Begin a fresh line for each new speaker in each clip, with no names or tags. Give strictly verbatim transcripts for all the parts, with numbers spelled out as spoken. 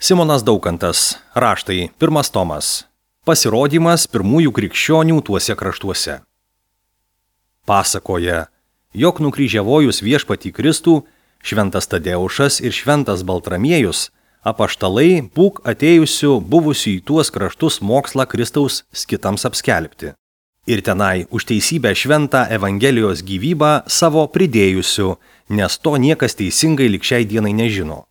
Simonas Daukantas, raštai, pirmas tomas. Pasirodymas pirmųjų krikščionių tuose kraštuose. Pasakoja, jog nukryžiavojus viešpatį Kristų, šventas Tadeušas ir šventas Baltramiejus, apaštalai būk atėjusių buvusių į tuos kraštus mokslą Kristaus skitams apskelbti. Ir tenai už teisybę šventą Evangelijos gyvybą savo pridėjusių, nes to niekas teisingai lig šiai dienai nežino.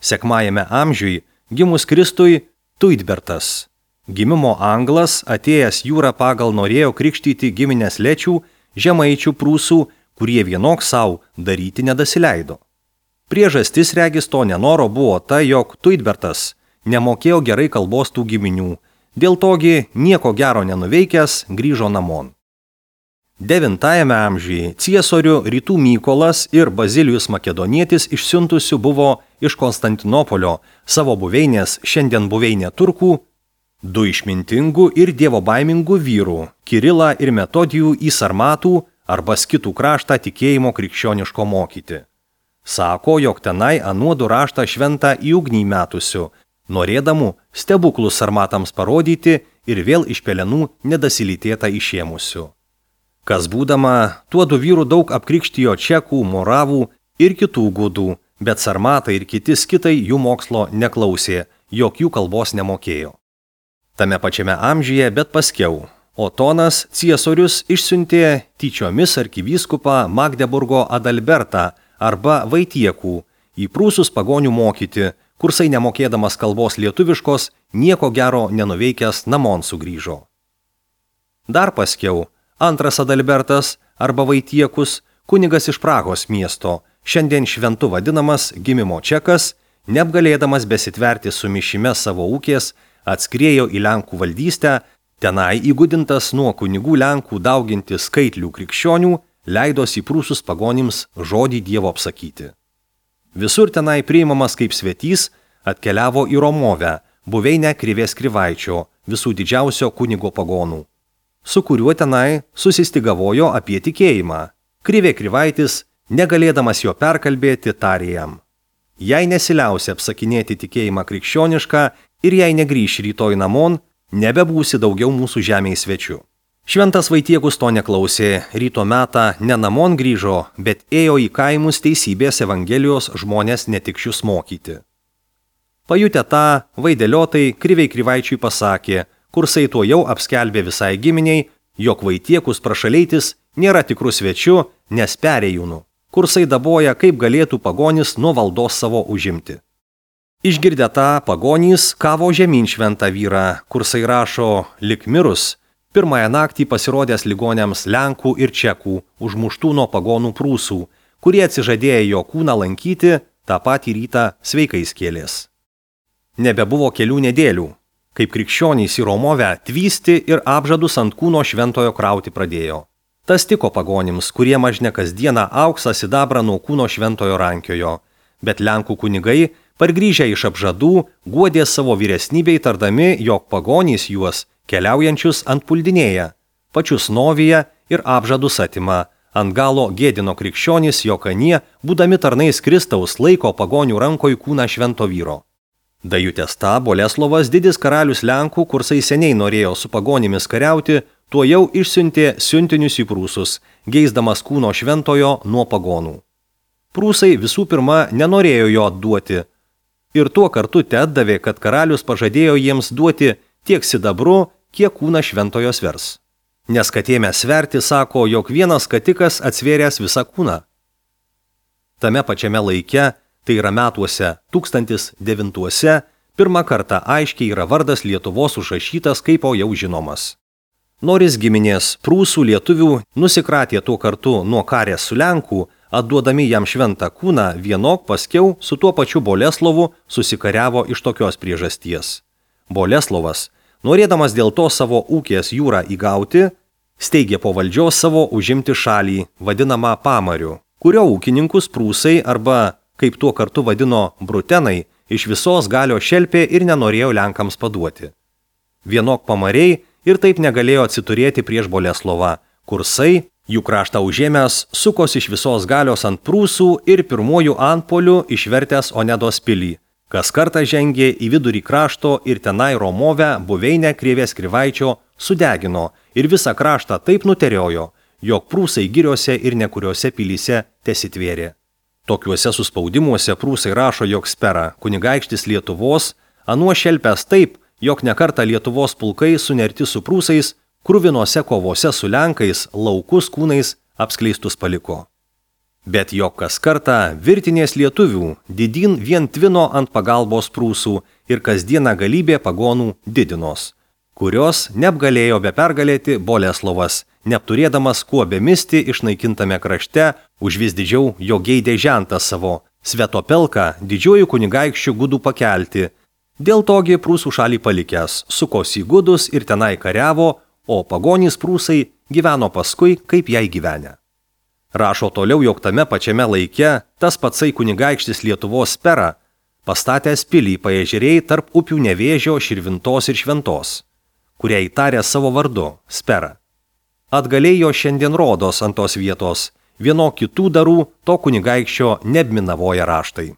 Sekmajame amžiui gimus Kristui Tuidbertas, gimimo anglas, atėjęs jūrą pagal norėjo krikštyti giminės lečių, žemaičių prūsų, kurie vienok savo daryti nedasileido. Priežastis regis to nenoro buvo ta, jog Tuidbertas nemokėjo gerai kalbos tų giminių, dėl togi nieko gero nenuveikęs grįžo namon. Devintajame amžiuje ciesorių Rytų Mykolas ir Bazilijus Makedonietis išsiuntusių buvo iš Konstantinopolio savo buveinės, šiandien buveinė turkų, du išmintingų ir dievobaimingų vyrų, Kirilą ir Metodijų į Sarmatų arba Skitų kraštą tikėjimo krikščioniško mokyti. Sako, jog tenai anuodu raštą šventą į ugnį metusių, norėdamų stebuklus sarmatams parodyti ir vėl iš pelenų nedasilytėtą išėmusių. Kas būdama, tuodu vyrų daug apkrikštijo čekų, moravų ir kitų gudų, bet sarmatai ir kiti skitai jų mokslo neklausė, jog jų kalbos nemokėjo. Tame pačiame amžiuje, bet paskiau, Otonas ciesorius išsiuntė tyčiomis arkivyskupą Magdeburgo Adalbertą arba Vaitiekų į prūsus pagonių mokyti, kursai nemokėdamas kalbos lietuviškos, nieko gero nenuveikęs namon sugrįžo. Dar paskiau, antras Adalbertas arba Vaitiekus, kunigas iš Prahos miesto, šiandien šventu vadinamas gimimo čekas, neapgalėdamas besitverti su mišime savo ūkės, atskriejo į Lenkų valdystę, tenai įgudintas nuo kunigų Lenkų dauginti skaitlių krikščionių, leidosi į prūsus pagonims žodį Dievo apsakyti. Visur tenai priimamas kaip svetys, atkeliavo į Romovę, buveinę Krivės Krivaičio, visų didžiausio kunigo pagonų, su kuriuo tenai susistigavojo apie tikėjimą. Krivė Krivaitis, negalėdamas jo perkalbėti, tarė jam: jei nesiliausi apsakinėti tikėjimą krikščionišką ir jei negrįš rytoj namon, nebebūsi daugiau mūsų žemėje svečių. Šventas Vaitiekus to neklausė, ryto metą ne namon grįžo, bet ėjo į kaimus teisybės Evangelijos žmonės netikšius mokyti. Pajutę tą, vaideliotai Kriviai Krivaičiui pasakė, kursai tuo jau apskelbė visai giminiai, jog Vaitiekus prašaleitis nėra tikrų svečių, nes perėjūnų. Kursai daboja, kaip galėtų pagonis nuo valdos savo užimti. Išgirdę tą, pagonys kavo žemyn šventą vyrą, kursai rašo, lik mirus, pirmąją naktį pasirodęs ligoniams Lenkų ir Čekų, užmuštų nuo pagonų prūsų, kurie atsižadėję jo kūną lankyti, tą patį rytą sveikais kėlės. Nebebuvo kelių nedėlių, kaip krikščionys į Romovę tvysti ir apžadus ant kūno šventojo krauti pradėjo. Tas tiko pagonims, kurie mažne kasdieną auksą sidabrą nuo kūno šventojo rankiojo, bet Lenkų kunigai, pargrįžę iš apžadų, guodė savo vyresnybei tardami, jog pagonys juos keliaujančius ant puldinėja, pačius novyje ir apžadus atima, ant galo gėdino krikščionys, jog anie, būdami tarnais Kristaus, laiko pagonių rankoj kūną švento vyro. Dajutęs tą, Boleslovas, didis karalius Lenkų, kursai seniai norėjo su pagonimis kariauti, tuo jau išsiuntė siuntinius į prūsus, geisdamas kūno šventojo nuo pagonų. Prūsai visų pirma nenorėjo jo atduoti ir tuo kartu te atdavė, kad karalius pažadėjo jiems duoti tiek sidabru, kiek kūną šventojo svers. Nes kad ėmė sverti, sako, jog vienas skatikas atsvėręs visą kūną. Tame pačiame laike, tai yra metuose tūkstantis devintuose, pirmą kartą aiškiai yra vardas Lietuvos užrašytas kaip o jau žinomas. Noris giminės prūsų lietuvių nusikratė tuo kartu nuo karės su Lenkų, atduodami jam šventą kūną, vienok paskiau su tuo pačiu Boleslovu susikariavo iš tokios priežasties. Boleslovas, norėdamas dėl to savo ūkės jūrą įgauti, steigė po valdžios savo užimti šalį, vadinamą Pamariu, kurio ūkininkus prūsai arba, kaip tuo kartu vadino, brutenai, iš visos galio šelpė ir nenorėjo Lenkams paduoti. Vienok Pamariai ir taip negalėjo atsiturėti prieš Boleslovą, kursai, jų kraštą užėmęs, sukos iš visos galios ant prūsų ir pirmojų antpolių išvertęs Onedos pilį, Kas kartą žengė į vidurį krašto ir tenai Romovę buveinę Krėvės Krivaičio sudegino ir visą kraštą taip nuteriojo, jog prūsai giriose ir nekuriuose pilyse tesitvėrė. Tokiuose suspaudimuose prūsai rašo, jog Spera, kunigaikštis Lietuvos, anuo šelpęs taip, jog nekartą Lietuvos pulkai sunerti su prūsais, kruvinose kovose su lenkais, laukus kūnais apskleistus paliko. Bet jog kas kartą virtinės lietuvių didin vien tvino ant pagalbos prūsų ir kasdieną galybė pagonų didinos, kurios neapgalėjo be pergalėti Boleslovas, neapturėdamas kuo bemisti išnaikintame krašte, už vis didžiau jo geidė žentą savo, Svetopelką didžiuoju kunigaikščiu gudų pakelti. Dėl togi prūsų šalį palikęs, sukosi gudus ir tenai kariavo, o pagonys prūsai gyveno paskui, kaip jai gyvenę. Rašo toliau, jog tame pačiame laike tas patsai kunigaikštis Lietuvos Spera pastatęs pilį paežerėjai tarp upių Nevėžio, Širvintos ir Šventos, kurią įtarė savo vardu Spera. Atgalėjo šiandien rodos ant tos vietos, vieno kitų darų to kunigaikščio neapminavoja raštai.